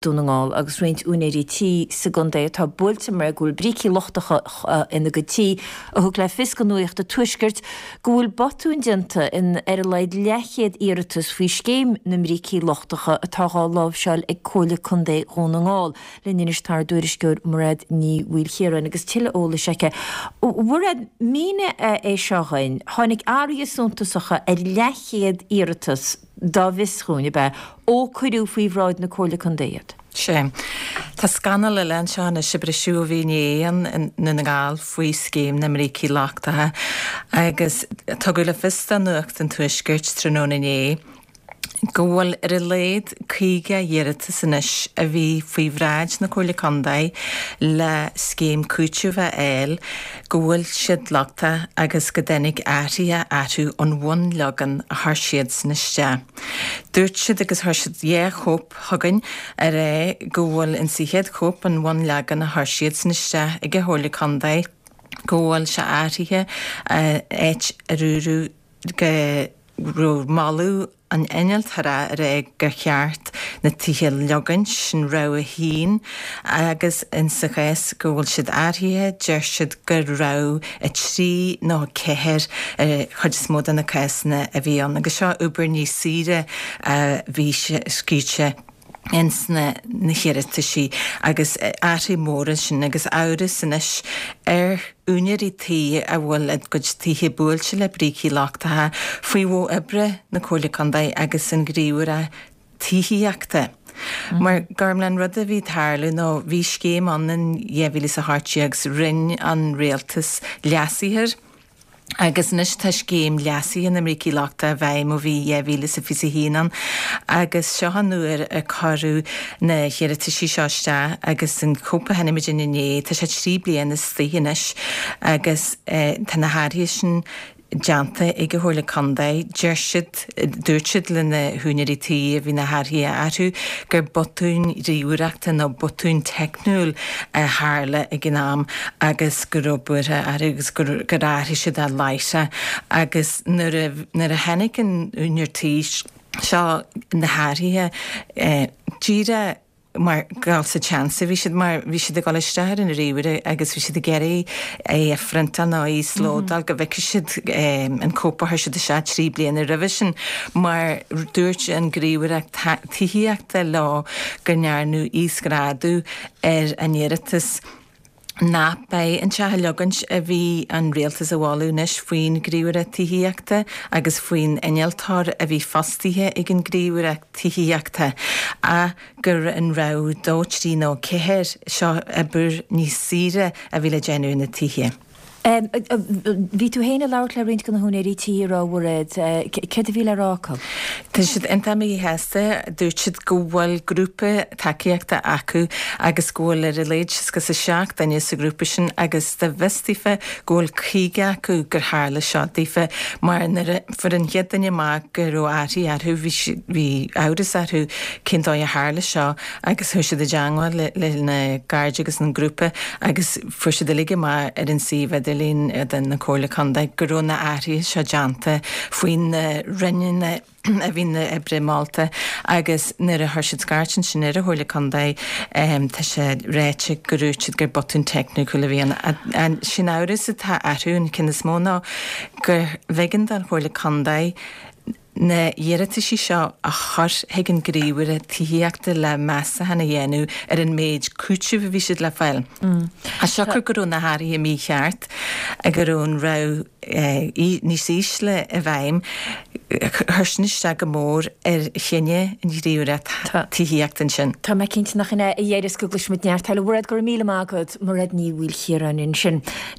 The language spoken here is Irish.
Dún na nGall agus roinnt úinéirí tí sa gcontae atá buailte mar go bhfuil brící lochtacha ina gcuid tí, a thug le fios do Nuacht an Tuaiscirt go bhfuil botúin déanta in ar a laghad leathchéad iarratas faoi scéim na mbrící lochtacha atá dhá láimhseáil ag Comhairle Contae Dhún na nGall. Linn anois tá ár dtuairisceoir Mairéad Ní Mhaoilchiaráin agus tuilleadh eolais aici. A Mhairéad, mínigh é seo dhuinn, tháinig athruithe suntasacha ar leathchéad iarratas, dá bhfios dhúinn, ab ea, ó cuireadh faoi bhráid na Comhairle Contae iad? Sea. Tá scannal eile anseo anois a briseadh ó bhí inné i nDún na nGall faoi scéim na mbrící lochtacha agus tugadh le fios do Nuacht an Tuaiscirt tráthnóna inné go bhfuil ar a laghad 50 iarratas anois a bhí faoi bhráid na Comhairle Contae le scéim cúitimh a fháil go bhfuil siad lochtach agus go dtáinig athruithe orthu ón bhunleagan a chuir siadsan isteach. Dúirt siad, agus chuir siad dhá chóip chugainn, a rá go bhfuil insa chéad chóip an bhunleagan a chuir siadsan isteach ag an Chomhairle Contae go bhfuil sé athraithe áit a dúradh go raibh moladh an innealtóra a rá gur cheart na tithe a leogaint, sin rogha a haon, agus insa chás go bhfuil siad athraithe, deir siad gur rogha 3 nó 4 ar chuid is mó de na cásanna a bhí ann. Agus seo obair níos saoire a bhí scríte. ins na hiarrataisí agus athruithe móra ansin agus amhras anois ar úinéirí tí a bhfuil a gcuid tithe buailte le brící lochtacha faoi mhodh oibre na Comhairle Contae agus an Ghníomhaireacht Tithíochta. Mar Gormlaith an rud a bhí ag tarlú nó bhí scéim ann in 2018 agus rinne an rialtas leasuithe air. Agus anois tá scéim leasaithe na mbrící lochtacha i bhfeidhm ó bhí 2021 ann agus seo an uair a cuireadh na hiarrataisí seo isteach agus an chóip a chonaic muid inné, tá sé 3 bliana istigh anois agus tá na hathruithe sin déanta ag an Chomhairle Contae. Deir siad, dúirt siad le na húinéirí tí a bhí na hathruithe orthu gur botún ríomhaireachta nó botún teicniúil a tharla ag an am agus go raibh buartha orthu agus gur athraigh siad é láithreach agus nuair a nuair a chonaic an úinéir tí seo na hathruithe díreach mar gheall sa tseans a bhí siad mar bhí siad ag dul isteach ar an ríomhaire agus bhí siad ag iarraidh é a phriontáil nó a íoslódáil go bhfeicfidh siad an cóip a chuir siad isteach 3 bliana roimhe sin mar dúirt an Ghníomhaireacht Tithíochta leo go ndearnadh íosghrádú ar a n-iarratas nach b'é an teach a leogaint a bhí an rialtas a mholadh anois faoin Ghníomhaireacht Tithíochta agus faoin innealtóir a bhí fostaithe ag an Ghníomhaireacht Tithíochta ach gur an rogha dó, trí nó ceathair, seo obair níos saoire a bhí le déanamh ar na tithe. Bhí tú féin ag labhairt le roinnt de na húinéirí tí, a raibh, a Mhairéad. Céard a bhí le rá acu? Tá siad iontach míshásta. Dúirt siad go bhfuil grúpa tacaíochta acu agus go bhfuil ar a laghad 67 duine sa ghrúpa sin agus dá bhfios daofa go bhfuil 50 acu gur tharla seo daofa mar nuair a fuair an chéad duine amach go raibh athruithe orthu bhí bhí amhras orthu cén dóigh a tharla seo agus chuaigh siad i dteangmháil lena gcairde agus an grúpa agus Fuair siad uilig amach ar an suíomh idirlín de na Comhairle Contae go raibh na athruithe seo déanta faoi na roinneanna a bhí na oibre molta agus nuair a chuir siad scairt ansin ar an Chomhairle Contae tá sé ráite go ndúirt siad gur botún teicniúil a bhí ann. Sin amhras atá orthu an ceann is mó ná gur bh'éigean don Chomhairle Contae na hiarrataisí seo a chur chuig an Ghníomhaire Tithíochta le meastachán a dhéanamh ar an méid cúitimh a bhí siad le fáil. As siocair go raibh na hathruithe mícheart, go raibh an rogha níos ísle i bhfeidhm, chuir sin isteach go mór ar chinneadh an Ghníomhaireacht Tithíochta ansin. Tá mé cinnte nach in é a dheireas go gcloisfimid neart eile. Mairéad, go raibh míle maith agat. Mairéad Ní Mhaoilchiaráin ansin.